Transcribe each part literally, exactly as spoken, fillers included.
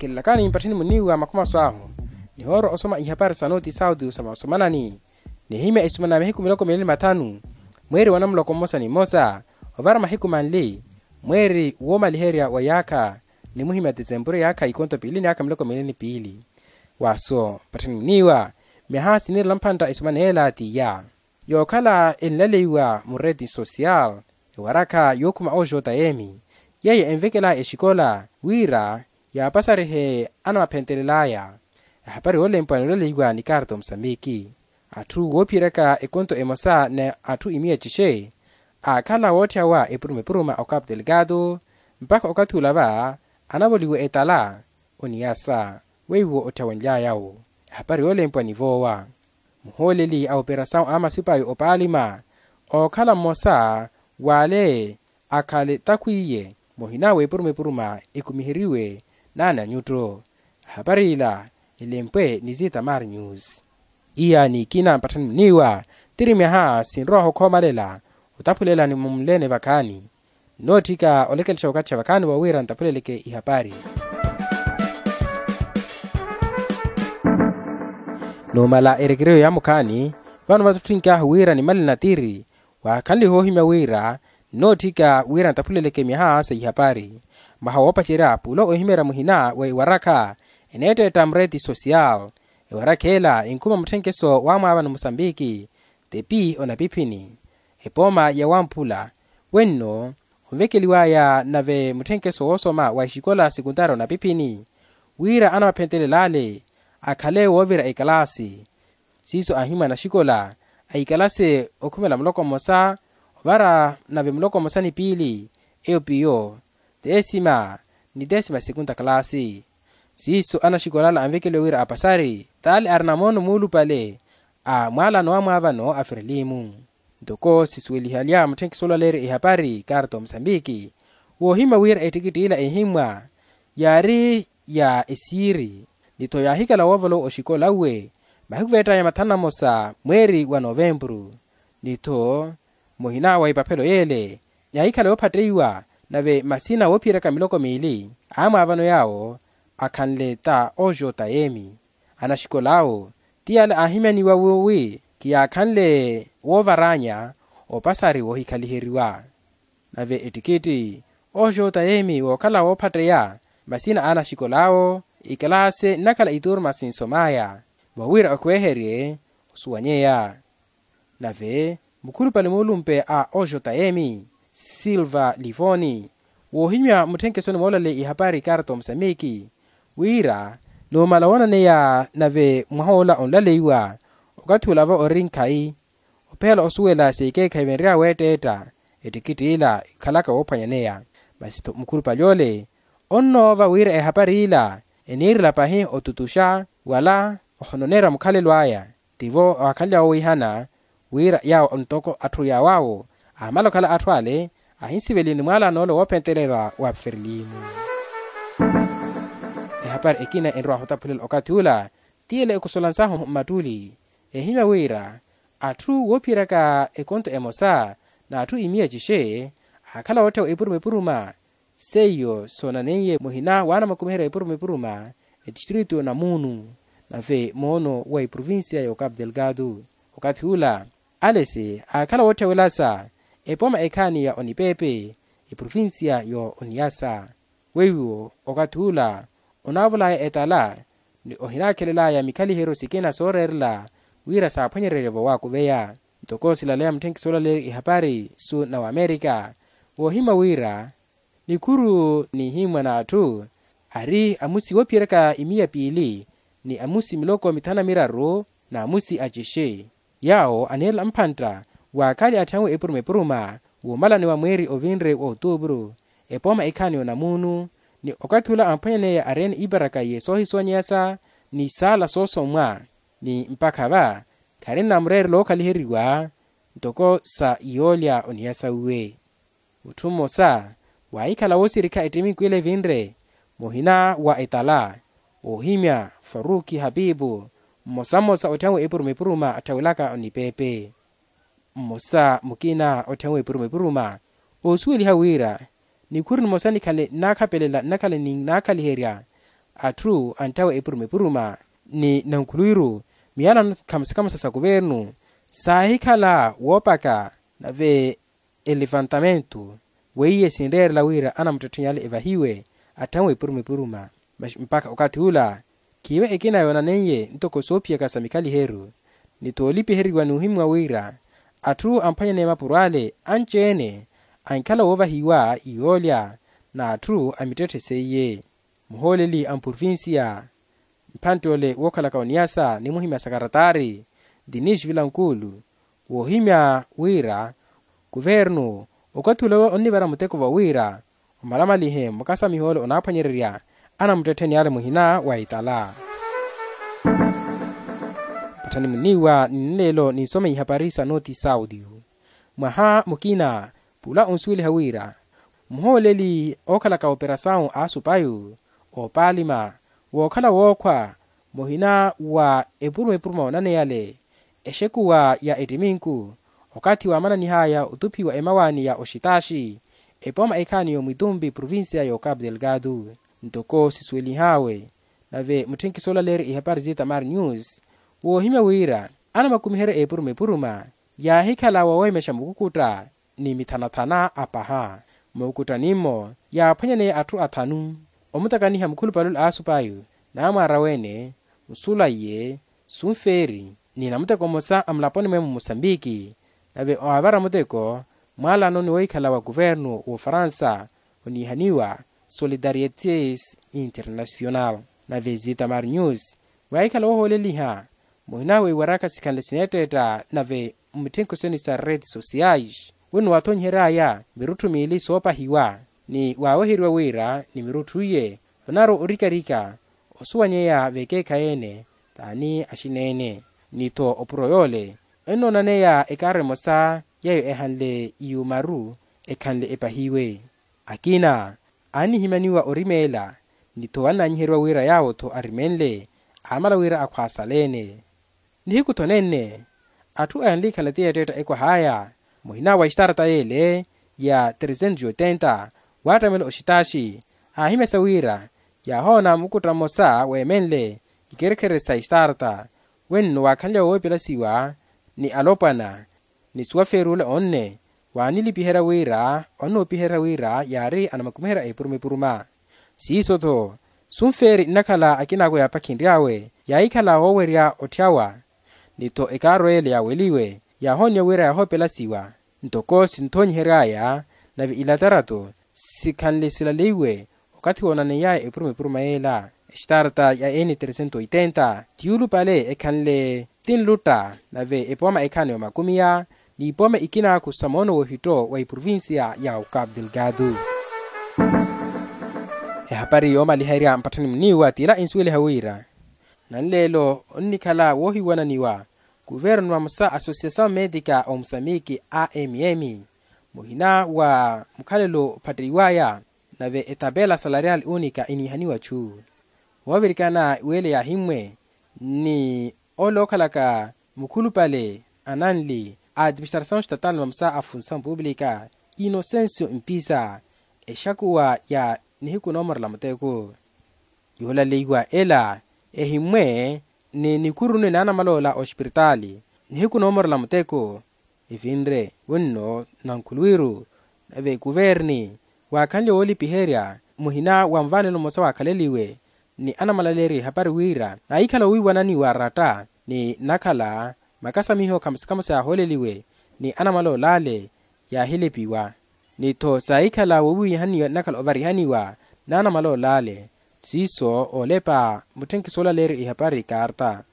Kinlakani mpattheni muniiwa makhumaso ahu, nihoorwa osoma ihapari sa noti sauti sa masomanani. Nihimya esumana ya mahiku miloko miili ni mathanu, mweeri wa namuloko mmosa ni mmosa, ovara mahiku manli, mweeri woomaliherya wa yaakha, nimuhimya tisempuru yaakha ikonto piili ni yaakha miloko miili ni piili. Waaso mpattheni muniiwa, myaha siniirela mpantta esumana ela t'iya. Yookhala enlaleiwa mu reti social, ewarakha yookhuma oxota emi, yeiyo envekela exikola wira yaapasarihe anamaphentelel'aya. Ehapari yoolempwa nilaleiwa ni karta omusambiki. Atthu woophiyeryaka ekonto emosa ni atthu imiya cixe, aakhala wootthawa epuruma epuruma o capu delgado, mpakha okathi ula va anavoliwa etala oniyasa, weiwo otthawenly'aya-wo. Ehapari yoolempwa ni voowa. Muhooleli a operasawu a masipayi opaalima, ookhala mmosa w'ale akhale takhwiiye muhina w'epuruma epuruma ekumiheriwe naani anyutto. Ehapari ila elempwe ni zitamar news. Iya ni ikina mpatthani muniiwa, tiri myaha sinrowaho khoomalela otaphulela ni mumulene vakhaani. Nnootthika olekelexa wakathi xa vakhaani wawira ntaphuleleke ihapari. Numala erekereyo ya mukhaani, vano vattutthink'ahu wira nimale natiri, waakhanlihe ohimya wira nnootthika wira ntaphuleleke myaha sa ihapari. Mwaha woopacerya pula ohimeerya muhina wa ewarakha eneetteetta mureti social. Ewarakha ela enkhuma mutthenkeso wa mwaavano musambiki, tepi onapiphini, epooma ya wamphula. Wenno onvekeliw'aya nave mutthenkeso woosoma wa exikola sekuntari onapiphini, wira anamaphentelel'ale akhale woovira ekalaasi. Siiso aahimwa anaxikola a ikalaasi okhumela muloko mmosa ovara nave muloko mmosa ni piili, eyo piyo teesima ni teesima sekunta kalaasi. Siiso anaxikol'ala anvekeliwa wira apasari t'ale arina moono muulupale a mwaalano wa mwaavano a ferelimu. Ntoko sisuwelihalya mutthenkiso olaleerya ehapari karta omusambiki, woohimya wira ettikitti ila ehimmwa yaari ya esiiri, ni-tho yaahikhala woovolowa oxikola uwe mahiku veett'aya mathanu na mmosa mweeri wa novempuru. Ni-tho muhina wa epaphelo yeele yaahikhala yoophatteiwa, nave masina woophiyeryaka miloko miili a mwaavano yaawo akhanle ta oxota yeemi. Anaxikol'awo ti yale aahimyaniwa wi khiyaakhanle woovar'anya opasari woohikhaliheriwa. Nave ettikitti oxota yeemi wookhala woophatteya masina a anaxikol'awo, ikalaasi nnakhala ituruma sinsom'aya, mwa wira okhweherye osuwanyeya. Nave mukhulupale muulumpe a oxota yeemi silva livoni, woohimya mutthenkeso ni moolaleya ihapari karta omusambiki, wira numala woonaneya nave mwaha ola onlaleiwa, okathi ula va ori nkhayi, ophela osuwela seikeekhayi venrya weetteetta ettikitti ila ikhalaka woophwanyaneya. Masi-tho mukhulupale ole onnoova wira ehapari ila eniirela pahi otutuxa wala ohononeerya mukhalelo aya. Tivo waakhanlya woowihana wira yaawo ntoko atthu yaawo awo aamala okhala atthu ale ahinsiveliwe ni mwaalano ole woophentelela wa ferelimu. Ehapari ekina enrowahu otaphulela okathi ula ti ele ekusolansahu mmattuli, ehimya wira atthu woophiyeryaka ekonto emosa n'atthu imiya cixe aakhala wootthewa epuruma epuruma. Seiyo soonaneiye muhina waanamukumiherya epuruma epuruma etistritu namuunu nave moono wa eprovincia ya ocapu delgado. Okathi ula alesi aakhala wootthewelasa epooma ekhaani ya onipepe eprovincia ya oniyasa. Weiwo okathi ula onaavol'aya etala ni ohinaakhelel'aya mikhaliheryo sikina sooreerela wira saaphwanyererye vowaakuveya. Ntoko silaleya mutthenkiso olaleerya ihapari su na wamerika, woohimya wira nikhuru nihimmwa n'atthu ari amusi woophiyeryaka imiya piili ni amusi miloko mithanu na miraru n'amusi acixe. Yaawo aniirela mphantta waakhaali atthiyanwe epuruma epuruma woomalaniwa mweeri ovinre wa otuupuru epooma ekhaani ya onamuunu. Ni okathi ula amphwanyaneya areene iparaka ye soohisuwanyeyasa ni saala soosommwa ni mpakha va kharinna mureerelo ookhaliheriwa ntoko sa yoolya oniyasa uwe. Mutthu mmosa waahikhala woosirikha ettimiku ila evinre muhina wa etala oohimya faruki hapipu mmosa mmosa otthyamwe epuruma epuruma atthawelaka onipepe. Mmosa mukina otthyamwe epuruma epuruma oosuweliha wira nikhuru nimosa nikhale nnaakhapelela nnakhala ninnaakhaliherya atthu antthawe epuruma epuruma ni nankhulwiru miyalano khamusa khamusa sa kuvernu saahikhala woopaka nave elevantamento weiye sinreerela wira anamuttettheni ale evahiwe atthawe epuruma epuruma. Mpakha okathi ula khiiwe ekina yoonaneiye ntoko soophiyaka sa mikhaliheru ni toolipiheriwa n'uhimwa wira atthu amphwanyaneye mapuro ale anci-ene ankhala woovahiwa iyoolya n'atthu amittetthe seiye. Muhooleli a mprovincia mphantte ole wookhalaka oniyasa ni muhimya sakaratari dinis vilankuulu woohimya wira kuvernu okathi ole onnivara muteko va wira omalamalihe mukasamiho ole onaaphwanyererya anamuttettheni ale muhina wa itala. Mpatthani muniiwa ni nleelo ninsome ihapari sa noti saudio mwaha mukina pula onsuweliha wira muhooleli ookhalaka operasawu a asupayu oopalima wookhala wookhwa muhina wa epuruma epuruma oonaneyale exekuwa ya ettiminku okathi waamananihaya otuphiwa emawaani ya oxitaxi epooma ekhaani y'omwitumpi provincia y'ocapu delgado. Ntoko sisuwelihawe nave mutthenkiso olaleerya ihapari z'itamar news woohimya wira anamakumiherya epuruma epuruma yaahikhala woowemexa mukukutta ni mithanathana apaha. Mukuttani-mo yaaphwanyaneye atthu athanu omutakaniha mukhulupale ole a asupayu naamwaara wene musula iye sunfeeri ni namuteko mmosa a mulaponi mwe mu musambiki nave waavara muteko mwaalano ni woohikhala wa kuvernu w'ofaransa oniihaniwa solidarietes international. Nave zitamar news waahikhala woohooleliha muhina weiwaraka sikhanle sineetteetta nave mmitthenkhuseni sa redes sociais wino waathonyiheryaya mirutthu miili soopahiwa ni waaweheriwa wira ni mirutthu iye onaarwa orikarika osuwanyeya vekeekhayi-ene t'ani axina-ene ni-tho opuro yoole ennoonaneya ekaaro emosa yeeyo ehanle iyumaru ekhanle epahiwe. Akina aannihimyaniwa orimeela ni-tho annaanyiheriwa wira yaawo-tho arimenle aamala wira akhwaasale-ene. Nihiku-tho nenne atthu anlikhala ti yeetteetta ekwah'aya muhina wa estarta y'ele ya tresentos oitenta waattamela oxitaxi aahimyasa wira yaahoona mukutta mmosa weemenle ikerekhere sa estarta wenno waakhanle woowepelasiwa ni alopwana ni suwafeeri ole onne waanilipiherya wira onnoopiherya wira yaari anamakumiherya epuruma epuruma. Siiso-tho sunfeeri nnakhala akinaako yaapakhinry'awe yaahikhala woowerya otthyawa ni-tho ekaaro ele yaaweliwe yaahooniwa wira yaahoopelasiwa ntoko sinthonyihery'aya nave ilatarato sikhanle silaleiwe okathi woonaney'aya epuruma epuruma yeela. Estarta ya n tresento oitenta ti yuulupale ekhanle ti nlutta nave epooma ekhaani omakumiya n'ipooma ikinaaku sa moono w'ohitto wa eprovincia ya ocapu delgado. Ehapari yoomaliherya mpatthani muniiwa t'ila insuweliha wira nanleelo onnikhala woohiwananiwa kuvernu vamosa associasaw medica omusamiki a m m muhina wa mukhalelo ophattiwaya nave etapela salarial unica eniihaniwa chu woovirikana wele yaahimmwe ni ole ookhalaka mukhulupale ananli a administrasaw estatal vamosa a funsaw publica inosencio mpisa exakuwa ya nihiku noomorela muteko. Yoolaleiwa ela ehimmwe ni nikhurunwe naanamaloola oxipiritaali nihiku noomorela muteko evinre wenno nankhulwiru nave kuverni waakhanle woolipiherya muhina wa nvaanelo mmosa waakhaleliwe ni anamalaleerya ehapari wira naahikhala owiiwananiwa aratta ni nnakhala makasamiho khamusikhamusi yaahooleliwe ni anamaloola ale yaahilipiwa ni-tho saahikhala wowiihaniwa nnakhala ovarihaniwa naanamaloola ale siiso oolepa mutthenkiso olaleerya ehapari karta.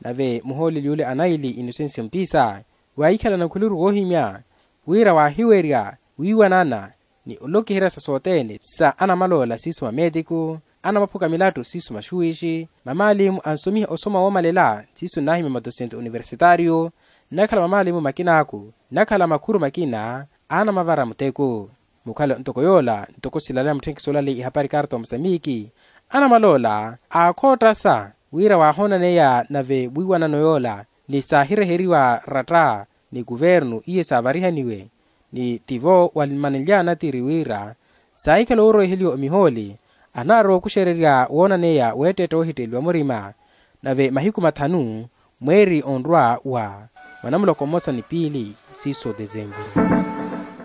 Nave muhooleli ole anaili inosencio mpisa waahikhala nakhuluru woohimya wira waahiwerya wiiwanana ni olokiherya sa sothene sa anamaloola siiso mameetiku anamaphuka milattu siiso maxuwixi mamaalimu ansomiha osoma woomalela siiso nnaahimya madosento universitario nnakhala mamaalimu makinaaku nnakhala makhuru makina aanamavara muteko. Mukhale ntoko yoola ntoko silaleya mutthenkiso olaleya ihapari karta omusamiki anamaloola aakhoottasa wira waahoonaneya nave wiiwanano yoola ni saahireheriwa ratta ni kuvernu iye saavarihaniwe ni tivo walimanelya anattiri wira saahikhala ooroweheliwa omihooli Anaarowa okuxererya woonaneya weettetta woohitteliwa murima nave mahiku mathanu mweeri onrwa wa mwanamuloko mmosa ni piili siiso desenvuru.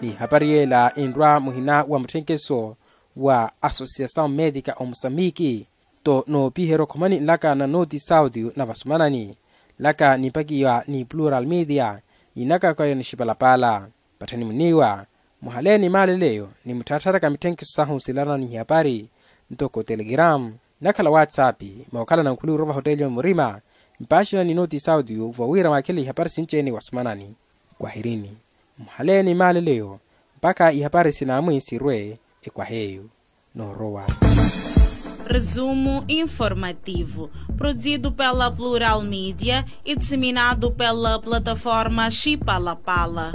Ni hapari yeela enrwa muhina wa mutthenkeso wa associasaw medica omusambiki to noopiherya okhomani nlaka na nooti saudio na vasumanani nlaka nimpakiwa ni plural media ni nakakwaya ni xipalapala. Patthani muniiwa muhaleeni maaleleyo ni mutthaattharaka mitthenkiso sahu silarana ni ihapari ntoko telegram nakhala whatsapp mookhalana nkhuli orowa vahoteliyo murima mpaaxina ni nooti saudio vowira mwaakhele ihapari sinci-ene wasumanani. Kwahirini muhaleeni maaleleyo mpakha ihapari sinaamwi sirwe ekwaheyo. Noorowa. Resumo informativo produzido pela plural media e disseminado pela plataforma xipalapala.